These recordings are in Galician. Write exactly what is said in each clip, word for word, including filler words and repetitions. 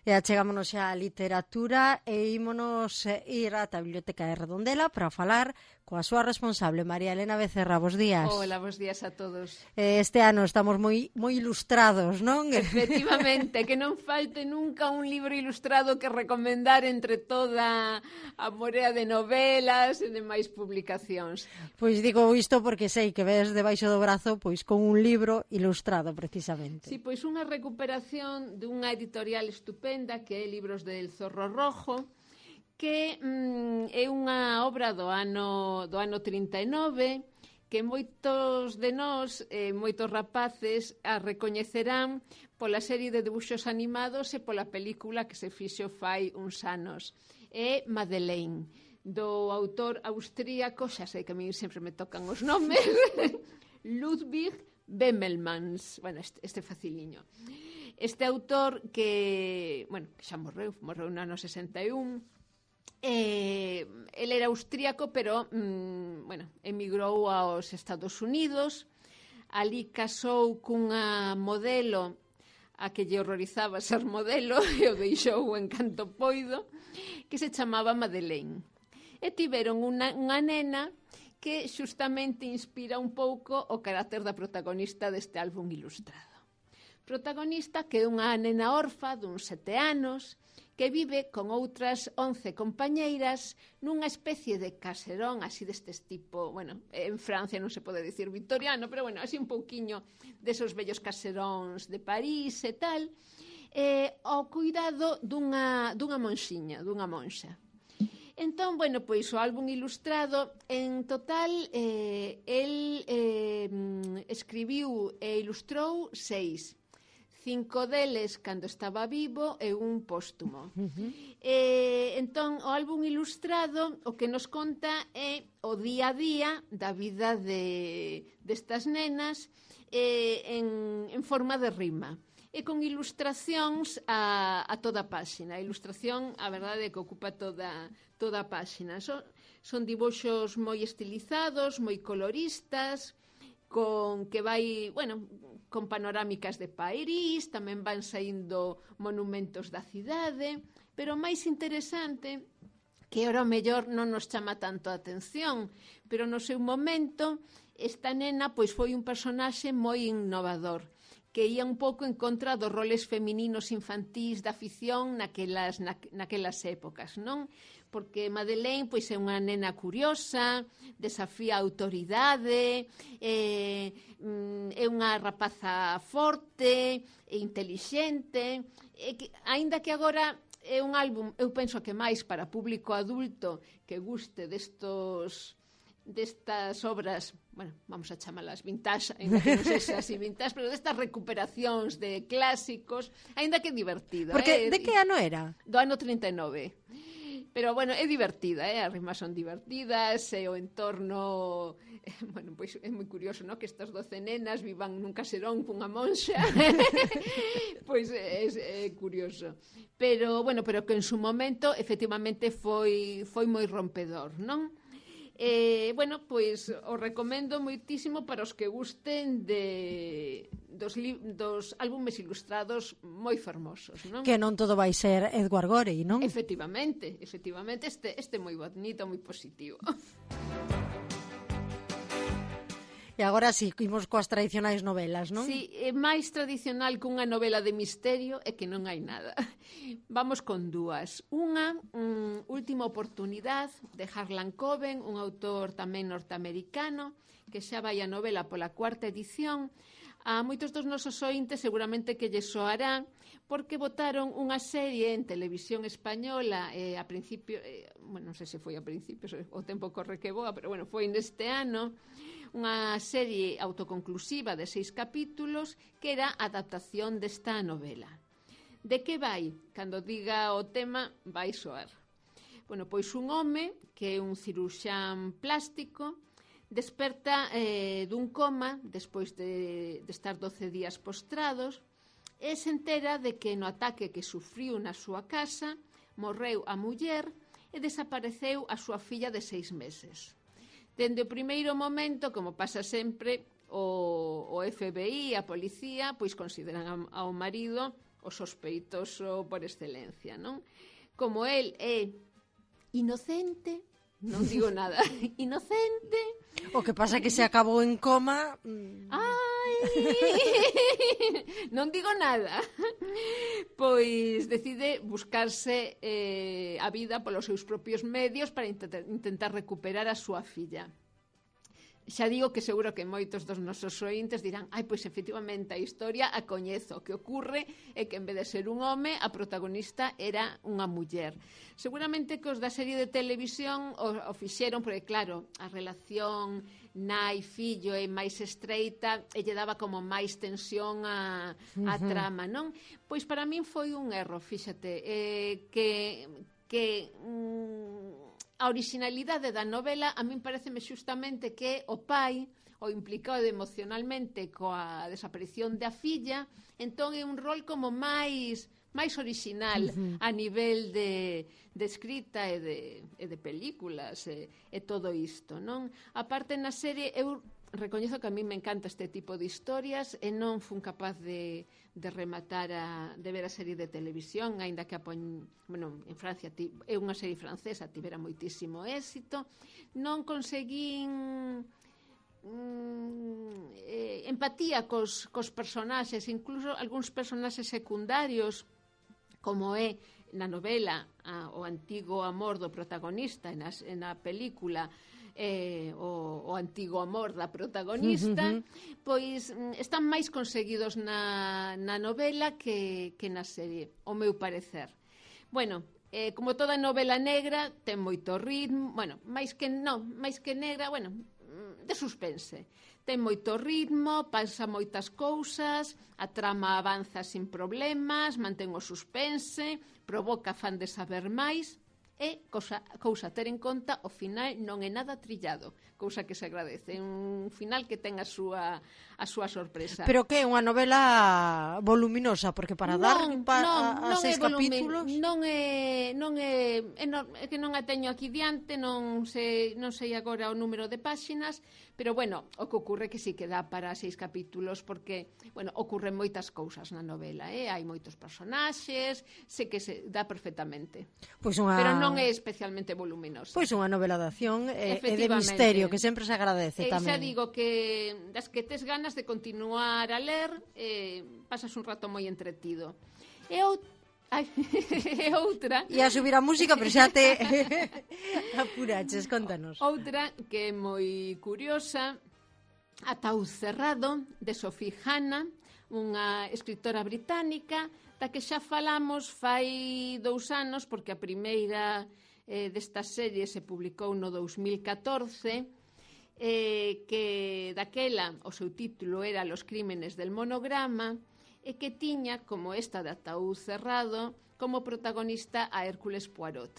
E achegámonos xa á literatura e ímonos ir ata a Biblioteca de Redondela para falar coa súa responsable, María Elena Becerra. Bos días. Hola, bos días a todos. Este ano estamos moi moi ilustrados, non? Efectivamente, que non falte nunca un libro ilustrado que recomendar entre toda a morea de novelas e demais publicacións. Pois digo isto porque sei que ves debaixo do brazo pois con un libro ilustrado precisamente. Sí, pois unha recuperación dunha editorial estupenda que é Libros del Zorro Rojo, que mm, é unha obra do ano, do ano trinta e nove, que moitos de nós, eh, moitos rapaces, a recoñecerán pola serie de debuxos animados e pola película que se fixo fai uns anos. É Madeleine, do autor austríaco, xa sei que a mí sempre me tocan os nomes, Ludwig Bemelmans. Bueno, este, este faciliño. Este autor que, bueno, que xa morreu, morreu no ano sesenta e un, eh, ele era austríaco, pero, mm, bueno, emigrou aos Estados Unidos, ali casou cunha modelo a que lle horrorizaba ser modelo e o deixou en canto poido, que se chamaba Madeleine. E tiveron unha, unha nena que xustamente inspira un pouco o carácter da protagonista deste álbum ilustrado. Protagonista que é unha nena orfa duns sete anos que vive con outras once compañeiras nunha especie de caserón así destes tipo, bueno, en Francia non se pode dicir victoriano, pero bueno, así un pouquiño desos vellos caseróns de París e tal, eh, ao cuidado dunha, dunha monxiña, dunha monxa. Entón, bueno, pois o álbum ilustrado, en total, eh, el eh, escribiu e ilustrou seis. Cinco deles cando estaba vivo e un póstumo. Uh-huh. Eh, entón, o álbum ilustrado o que nos conta é o día a día da vida de, destas nenas eh, en, en forma de rima. E con ilustracións a, a toda a páxina. A ilustración, a verdade é que ocupa toda, toda a páxina. Son, son dibuxos moi estilizados, moi coloristas, con que vai, bueno, con panorámicas de París, tamén van saindo monumentos da cidade, pero o máis interesante, que ora o mellor non nos chama tanto a atención, pero no seu momento, esta nena pois foi un personaxe moi innovador, que ia un pouco en contra dos roles femininos infantís da ficción naquelas, na, naquelas épocas, non? Porque Madeleine pois, é unha nena curiosa, desafía a autoridade, é, é unha rapaza forte, e intelixente, e que, aínda que agora é un álbum, eu penso que máis para público adulto que guste destos destas obras, bueno, vamos a chamalas vintage, ainda que non sei se así vintage, pero destas recuperacións de clásicos, ainda que divertida. Porque eh? De que ano era? Do ano trinta e nove. Pero, bueno, é divertida, eh? As rimas son divertidas, e o entorno, eh, bueno, pois é moi curioso, ¿no? Que estas doce nenas vivan nun caserón cunha monxa, pois é, é curioso. Pero, bueno, pero que en su momento, efectivamente, foi, foi moi rompedor, non? Eh, bueno, pois o recomendo moitísimo para os que gusten de dos, li, dos álbumes ilustrados moi fermosos, non? Que non todo vai ser Edward Gorey, non? Efectivamente, efectivamente, este este moi bonito, moi positivo. E agora sí, imos coas tradicionais novelas, non? Sí, é máis tradicional que unha novela de misterio é que non hai nada. Vamos con dúas. Unha, um, Última oportunidade, de Harlan Coben, un autor tamén norteamericano, que xa vai a novela pola cuarta edición. A moitos dos nosos ointes seguramente que lle soará, porque botaron unha serie en televisión española eh, a principio, eh, bueno, non sei se foi a principio, o tempo corre que boa, pero bueno, foi neste ano, unha serie autoconclusiva de seis capítulos que era a adaptación desta novela. De que vai? Cando diga o tema, vai soar. Bueno, pois un home que é un ciruxán plástico desperta eh, dun coma despois de, de estar doce días postrados e se entera de que no ataque que sufriu na súa casa morreu a muller e desapareceu a súa filla de seis meses. Dende o primeiro momento, como pasa sempre, o, o F B I, a policía, pois consideran ao marido o o sospeitoso por excelencia, non? Como el é inocente, non digo nada, inocente. O que pasa que se acabou en coma. Ai, non digo nada. Pois decide buscarse eh, a vida polos seus propios medios para intentar, intentar recuperar a súa filla. Xa digo que seguro que moitos dos nosos ointes dirán ai, pois efectivamente a historia a coñezo. O que ocorre é que en vez de ser un home, a protagonista era unha muller. Seguramente que os da serie de televisión o, o fixeron, porque claro, a relación nai-fillo é máis estreita e lle daba como máis tensión a, a uh-huh. trama, non? Pois para min foi un erro, fíxate, eh, que... que mm, a originalidade da novela a min pareceme xustamente que o pai o implicado emocionalmente coa desaparición da filla, entón é un rol como máis máis original uh-huh. a nivel de, de escrita e de, e de películas e, e todo isto, non? A parte na serie eu recoñezo que a mí me encanta este tipo de historias e non fun capaz de, de rematar a, de ver a serie de televisión, aínda que a pon, bueno, en Francia ti, é unha serie francesa, tivera moitísimo éxito. Non conseguín mm, eh, empatía cos, cos personaxes, incluso algúns personaxes secundarios, como é na novela a, o antigo amor do protagonista e na, na película eh, o, o antigo amor da protagonista, uh -huh. pois están máis conseguidos na, na novela que, que na serie, o meu parecer. Bueno, eh, como toda novela negra, ten moito ritmo, bueno, máis que non, máis que negra, bueno, de suspense. Ten moito ritmo, pasa moitas cousas, a trama avanza sin problemas, mantén o suspense, provoca fan de saber máis, e cousa, cousa a ter en conta, o final non é nada trillado, cousa que se agradece, un final que ten a súa a súa sorpresa. Pero que é unha novela voluminosa, porque para non, dar pa, non, a, a non seis volumen, capítulos non é non é, é, no, é que non a teño aquí diante, non sei, non sei agora o número de páxinas, pero bueno, o que ocorre que sí que dá para seis capítulos, porque, bueno, ocorren moitas cousas na novela, eh? Hai moitos personaxes, sei que se dá perfectamente. Pois unha... Pero non é especialmente voluminosa. Pois unha novela de acción e, e de misterio, que sempre se agradece e tamén. Xa digo que das que tes ganas de continuar a ler, eh, pasas un rato moi entretido. E outra Ai, e outra... E a subir a música, pero xa te apuraches, contanos. Outra que é moi curiosa, Ataúd cerrado, de Sophie Hannah, unha escritora británica, da que xa falamos fai dous anos, porque a primeira eh, desta serie se publicou no dous mil catorce, eh, que daquela o seu título era Los crímenes del monograma, e que tiña, como esta de Ataúd cerrado, como protagonista a Hércules Poirot.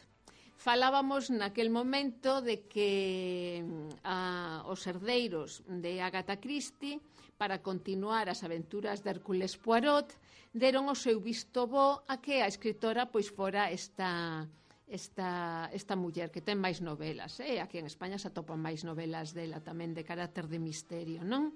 Falábamos naquel momento de que a, os herdeiros de Agatha Christie, para continuar as aventuras de Hércules Poirot, deron o seu visto bo a que a escritora pois fora esta, esta, esta muller que ten máis novelas. Eh? Aquí en España se atopan máis novelas dela tamén de carácter de misterio, non?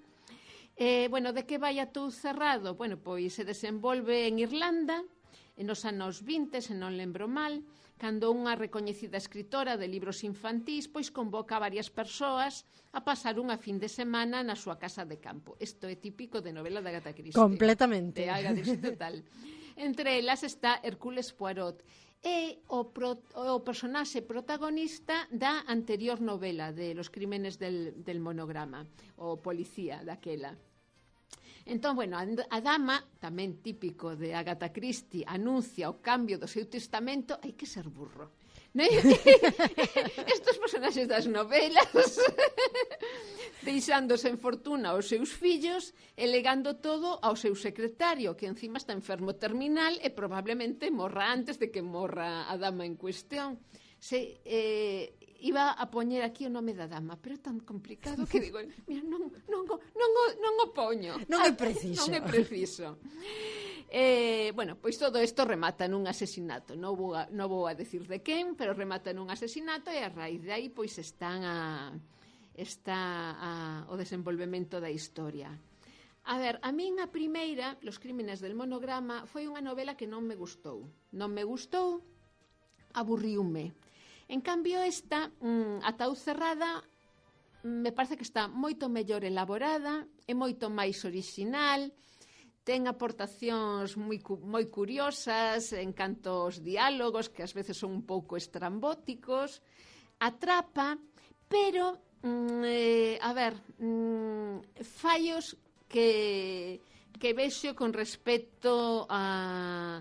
Eh, bueno, de que vai Ataúd cerrado? Bueno, pois se desenvolve en Irlanda, en os anos vinte, se non lembro mal, cando unha recoñecida escritora de libros infantís pois convoca a varias persoas a pasar unha fin de semana na súa casa de campo. Isto é típico de novela de Agatha Christie. Completamente. De Agatha Christie total. Entre elas está Hércules Poirot, e o, pro, o personaxe protagonista da anterior novela de Los crímenes del, del monograma, o policía daquela. Entón, bueno, a dama, tamén típico de Agatha Christie, anuncia o cambio do seu testamento. Hai que ser burro. Estos personaxes das novelas deixándose en fortuna aos seus fillos e legando todo ao seu secretario, que encima está enfermo terminal e probablemente morra antes de que morra a dama en cuestión. Se, eh, iba a poñer aquí o nome da dama, pero é tan complicado que digo, mira, non, non, non, non, non o poño. Non é preciso. Non é preciso. Eh, bueno, pois todo isto remata nun asesinato. Non vou a, non vou a decir de quen, pero remata nun asesinato e a raíz de aí pois están a, está a, o desenvolvemento da historia. A ver, a min a primeira, Los crímenes del monograma, foi unha novela que non me gustou. Non me gustou, aburriume. En cambio, esta, mmm, Ataúd cerrada, me parece que está moito mellor elaborada, é moito máis orixinal, ten aportacións moi, moi curiosas en canto aos diálogos, que ás veces son un pouco estrambóticos, atrapa, pero, mmm, eh, a ver, mmm, fallos que, que vexo con respecto a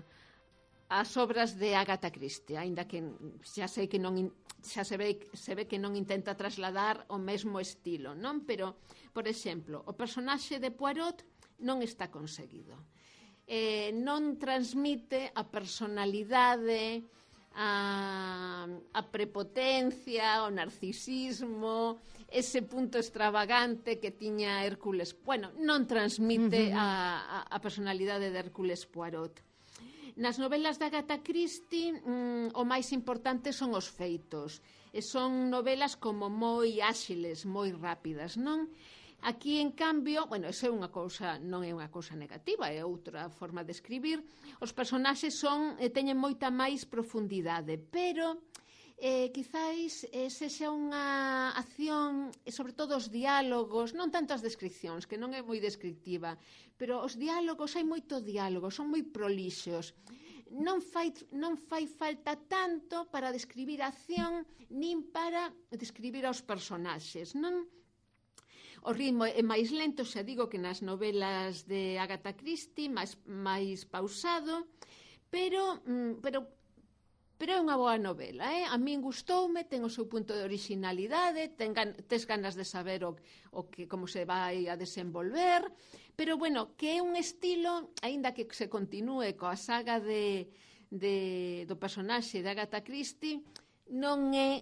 as obras de Agatha Christie, aínda que xa sei que non xa se ve, se ve que non intenta trasladar o mesmo estilo, non? Pero, por exemplo, o personaxe de Poirot non está conseguido. Eh, non transmite a personalidade, a, a prepotencia, o narcisismo, ese punto extravagante que tiña Hércules. Bueno, non transmite uh-huh. a, a, a personalidade de Hércules Poirot. Nas novelas de Agatha Christie, mmm, o máis importante son os feitos. E son novelas como moi áxiles, moi rápidas, non? Aquí, en cambio, bueno, esa é unha cousa, non é unha cousa negativa, é outra forma de escribir. Os personaxes son, eh, teñen moita máis profundidade, pero eh, quizáis eh, sexa unha acción, e sobre todo os diálogos, non tanto as descripcións, que non é moi descriptiva, pero os diálogos, hai moito diálogo, son moi prolixos. Non fai, non fai falta tanto para describir a acción, nin para describir aos personaxes, non? O ritmo é máis lento, xa digo, que nas novelas de Agatha Christie, máis, máis pausado, pero, pero, pero é unha boa novela, eh? A min gustoume, ten o seu punto de originalidade, ten gan, tes ganas de saber o, o que, como se vai a desenvolver, pero, bueno, que é un estilo, aínda que se continúe coa saga de, de, do personaxe de Agatha Christie, non é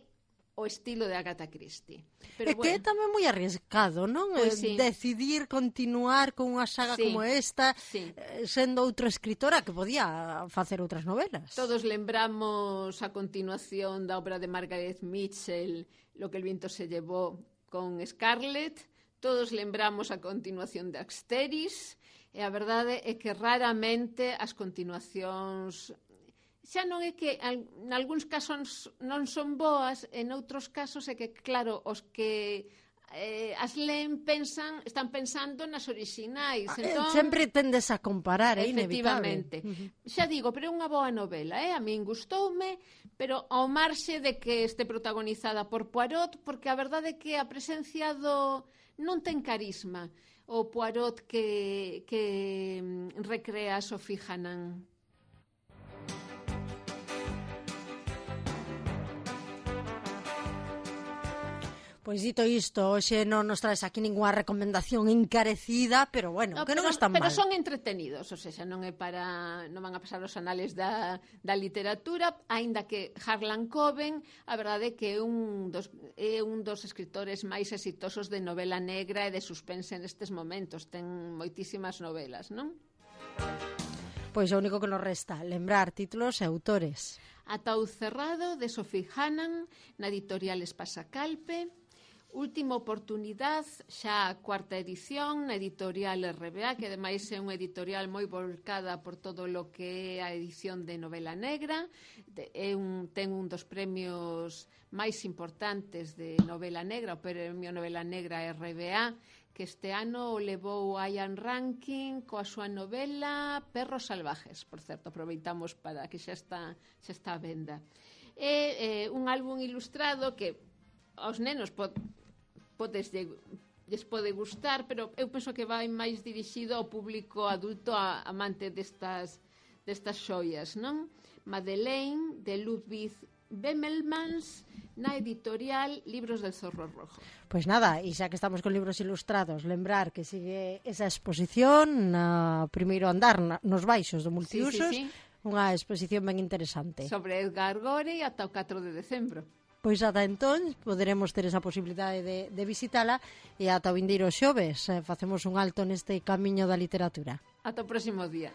o estilo de Agatha Christie. Pero, é que bueno, é tamén moi arriesgado, non? Pues sí. Decidir continuar con unha saga sí, como esta, sí. sendo outra escritora que podía facer outras novelas. Todos lembramos a continuación da obra de Margaret Mitchell, Lo que el viento se llevó, con Scarlett. Todos lembramos a continuación de Asteris. E a verdade é que raramente as continuacións xa non é que en algúns casos non son boas, en outros casos é que, claro, os que eh, as leen pensan, están pensando nas orixinais. Entón, sempre tendes a comparar, é inevitable. Efectivamente. Uh-huh. Xa digo, pero é unha boa novela, eh? A min gustoume, pero ao marxe de que este protagonizada por Poirot, porque a verdade é que a presencia do non ten carisma, o Poirot que, que recrea a Sophie Hanan. Pois dito isto, hoxe non nos traes aquí ninguna recomendación encarecida, pero bueno, no, que non están pero mal. Pero son entretenidos, o sea, non é para non van a pasar os anales da, da literatura, aínda que Harlan Coben, a verdade é que é un dos, é un dos escritores máis exitosos de novela negra e de suspense nestes momentos. Ten moitísimas novelas, non? Pois o único que nos resta, lembrar títulos e autores. Ataúd cerrado, de Sophie Hanan, na editorial Espasacalpe. Última oportunidade, xa a cuarta edición, na editorial R B A, que ademais é unha editorial moi volcada por todo o que é a edición de novela negra. É un, ten un dos premios máis importantes de novela negra, o premio novela negra R B A, que este ano o levou Ian Rankin coa súa novela Perros salvajes. Por certo, aproveitamos para que xa está, xa está a venda. É eh, un álbum ilustrado que aos nenos pod, podes lles pode gustar, pero eu penso que vai máis dirixido ao público adulto, a, amante destas, destas xoias, non? Madeleine, de Ludwig Bemelmans, na editorial Libros del Zorro Rojo. Pois nada, e xa que estamos con libros ilustrados, lembrar que sigue esa exposición na primeiro andar, na, nos baixos do Multiusos, sí, sí, sí. Unha exposición ben interesante. Sobre Edgar Gore ata o catro de decembro. Pois ata entón poderemos ter esa posibilidade de, de visitala e ata o vindeiro xoves eh, facemos un alto neste camiño da literatura. Ata o próximo día.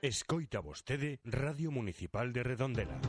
Escoita vostede Radio Municipal de Redondela.